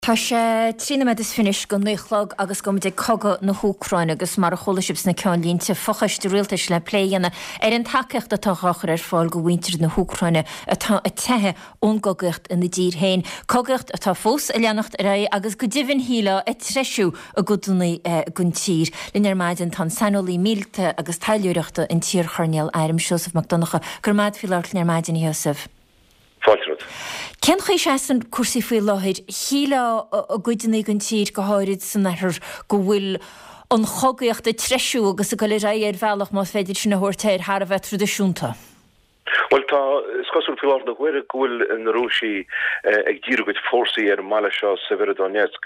Tá sé 23 nóiméad go 9 a chlog agus gabhfaidh muid ag cogadh na hÚcráine agus mar a chuala sibh sna ceannlínte, fochoiste rialtais le plé a dhéanamh ar an tacaíocht atá á chur ar fáil go mhuintir na hÚcráine atá ag teitheadh ón gcogaíocht ina dtír féin. Cogaíocht atá fós ag leanacht ar aghaidh agus go deimhin shílfeá ag treisiú i gcodanna den tír. Linn ar maidin tá an saineolaí míleata agus taidhleoireachta, an t-iarchoirnéal airm Seosamh Mac Donncha. Go raibh maith agat faoi labhairt linn ar maidin, a Sheosaimh. Fáilte romhat. Cén chaoi a seasann cúrsaí faoi láthair? Shílfeá i gcuideanna den tír, go háirid san oirthear, go bhfuil an chogaíocht ag treisiú agus ag dul ar aghaidh ar bhealach, más féidir sin a thabhairt air, thar a bheith traidisiúnta. Bhuel, tá, is cosúil faoi láthair na huaire go bhfuil na Rúisigh ag díriú a gcuid fórsaí ar an mbaile seo, Severodonetsk,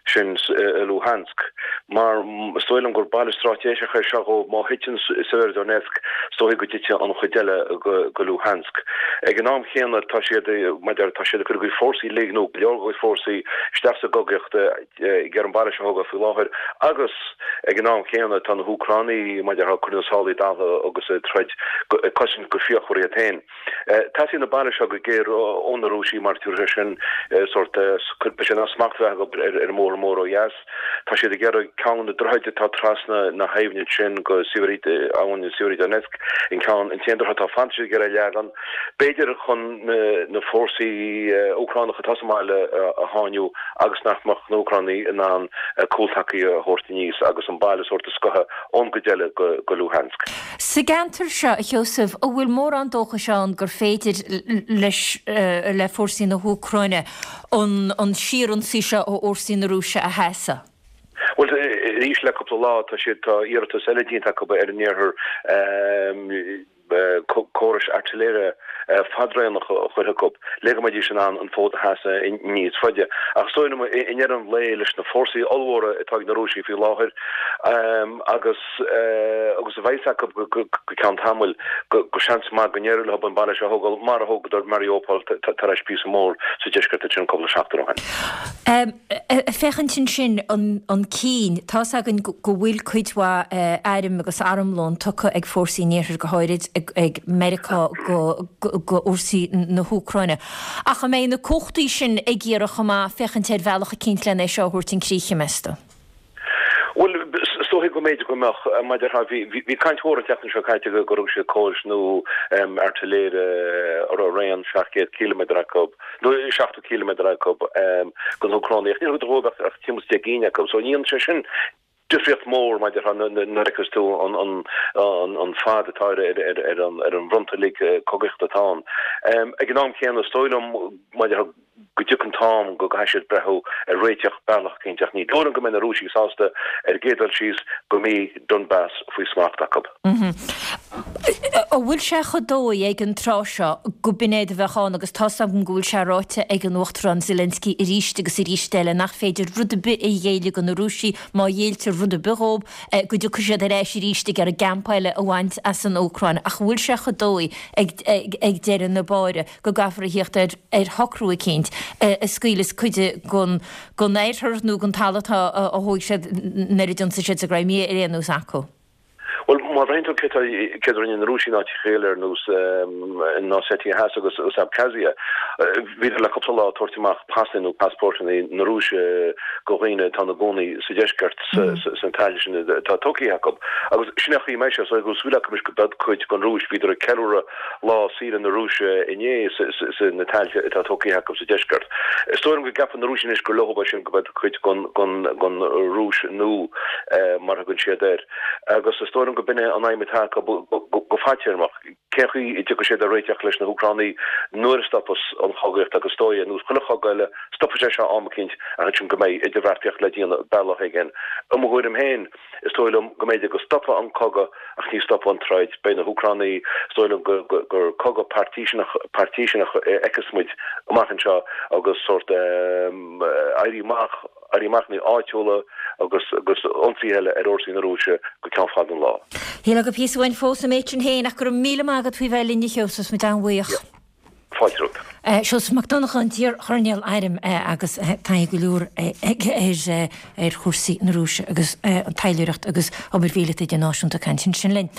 sin i Luhansk, mar is dóigh liom gur baile straitéiseach é seo dhóibh. Má thiteann Severodonetsk, is dóigh go dtitfidh an chuid eile de Luhansk. Ag an am chéanna, tá siad, mar a déarfá, tá siad ag cur a gcuid fórsaí uilig, nó go leor dá gcuid fórsaí, isteach sa gcogaíocht ag iarraidh an baile seo a thógáil faoi láthair agus ag an am chéanna tá na hÚcránaigh, mar a déarfá, ag cur na sálaí daltha agus ag troid, ag cosaint go fíochmhar iad féin. Teastaíonn an baile seo go géar ó na Rúisigh mar tabharfaidh sé sin sórt, beidh sé in ann smacht a bheith acu ar an mbóthar mór ó dheas. Tá siad ag iarraidh ceann de na droichid atá trasna na habhna ansin go abhainn Sievierodonetsk, an ceann, an t-aon droichead atá fanta, tá siad ag iarraidh é a leagan, b'fhéidir chun na fórsaí Úcránacha atá sa mbaile a sháinniú agus nach mbeadh na hÚcránaigh in ann cúltacaí a thabhairt aníos agus an baile sórt a scoitheadh ón gcuid eile de Luhansk. Sa gceantar seo, a Sheosaimh, an bhfuil mórán dóchais ann gur féidir leis, le fórsaí na hÚcráine, an síorionsaí seo ó fhórsaí na Rúise a sheasamh? Bhuel, arís le cúpla lá tá siad, tá iarratas eile déanta acu ar an iarthar córais airtléire fadraonacha a chur chucu le go mbeidís in ann an fód a sheasamh níos faide. Ach is dóigh liom i ndeireadh an lae leis na fórsaí ollmhóra atá ag na Rúisigh faoi láthair agus agus a bheas acu go ceann tamaill, go seans maith go n-éireoidh leo an baile seo a thógáil mar a thógadar Mariupol tar éis píosa mór sa deisceart ansin cúpla seachtain ó shin. Ag féachaint ansin chun cinn, tá's againn go bhfuil cuid mhaith airm agus armlón tugtha ag fórsaí an Iarthair, go háirid ag Meiriceá go fhórsaí na hÚcráine. Ach an mbeidh na cumhachtaí sin ag iarraidh chomh maith féachaint ar bhealach eicínt len é seo a thabhairt chun críche, meas tú? Bhuel, is dóiche go mb'fhéidir go mbeadh, mar a déarfá, bhí caint mhór an tseachtain seo caite gur thug siad córais nua airtléire a raibh raon 700 ciliméadar acu, nó 70 ciliméadar acu, do na hÚcránaigh, ach níor thugadar dhóibh ach timpeall is 10 gcinn acu. So ní dhéanann sé sin difríocht mhór, mar a déarfá, nuair a fheiceas tú an fad atá ar an bhfronta uilig cogaíochta atá ann. Ag an am céanna, is dóigh liom, mar a déarfá, go dtiocfaidh an t-am go gcaithfidh siad breathnú ar réiteach bealach eicínt ach ní dóigh liom go mbeidh na Rúisigh sásta ar an gcéad dul síos go mbeidh Donbas faoi smacht acu. An bhfuil sé chomh dóigh ag an tráth seo go b'in é a bheadh ann agus tá's agam go bhfuil sé ráite ag an Uachtarán Zelensky arís agus arís eile nach féidir rud ar bith a ghéilleadh do na Rúisigh, má ghéilltear rud ar bith dhóibh go dtiocfaidh siad ar ais arís ag iarraidh gampa eile a bhaint as an Úcráin ach an bhfuil sé chomh dóigh ag deireadh na báire go gcaithfear a thíocht ar ar shocrú eicínt a scaoileas cuid den oirthear nó den talamh atá a thóg siad nuair a d'ionsaigh siad sa gCrimea ar aon nós acu. Bhuel, má bhreathnaíonn tú céard céard a rinne na Rúisigh in áiteacha eile ar nós in Ossetia Theas agus agus Abkhazia, bhíodar le cúpla lá ag tabhairt amach pasanna nó passpórtanna na Rúise go dhaoine atá ina gcónaí sa deisceart sna tailte sin atá tógtha acu. Agus sin é an chaoi a mbeidh sé, so go bhfuil súil acu anois go mbeidh cuid den Rúis, bhíodar ag ceiliúradh Lá saoire na Rúise inné sna tailte atá tógtha acu sa deisceart. Is dóigh liom go gceapann na Rúisigh anois gur leo é sin, go mbeidh cuid den Rúis nua, mar a thugann siad air. Agus is dóigh liom go b'in é an aidhm atá acu go fadtéarmach. Cén chaoi a dtiocfaidh siad ar réiteach leis na hÚcránaigh nuair a stopfas an chogaíocht agus is dóigh, ar nós chuile chogadh eile, stopfaidh sé seo am eicínt ach ansin go mbeidh idirbheartaíocht le déanamh bealach éigin. I mo thuairim féin, Is dóigh liom go mb'fhéidir go stopfaidh an cogadh ach ní stopfaidh an troid. Beidh na hÚcránaigh, is dóigh liom gur cogadh pairtíseanach a fheicfeas muid amach anseo agus sórt éirí amach, éirí amachanna áitiúla agus agus ionsaithe eile ar fhórsaí na Rúise go ceann fada an lá. Shílfeá gur píosa uainn fós an méid sin féin ach go raibh míle maith agat faoi bheith linn a Sheosaimh, muid an-bhuíoch. Fáilte romhat. Seosamh Mac Donncha, an t-iar-choirnéal airm agus taithí go leor aige ar chúrsaí na Rúise agus an taidhleoireacht agus obair mhíleata idirnáisiúnta ag caint ansin linn.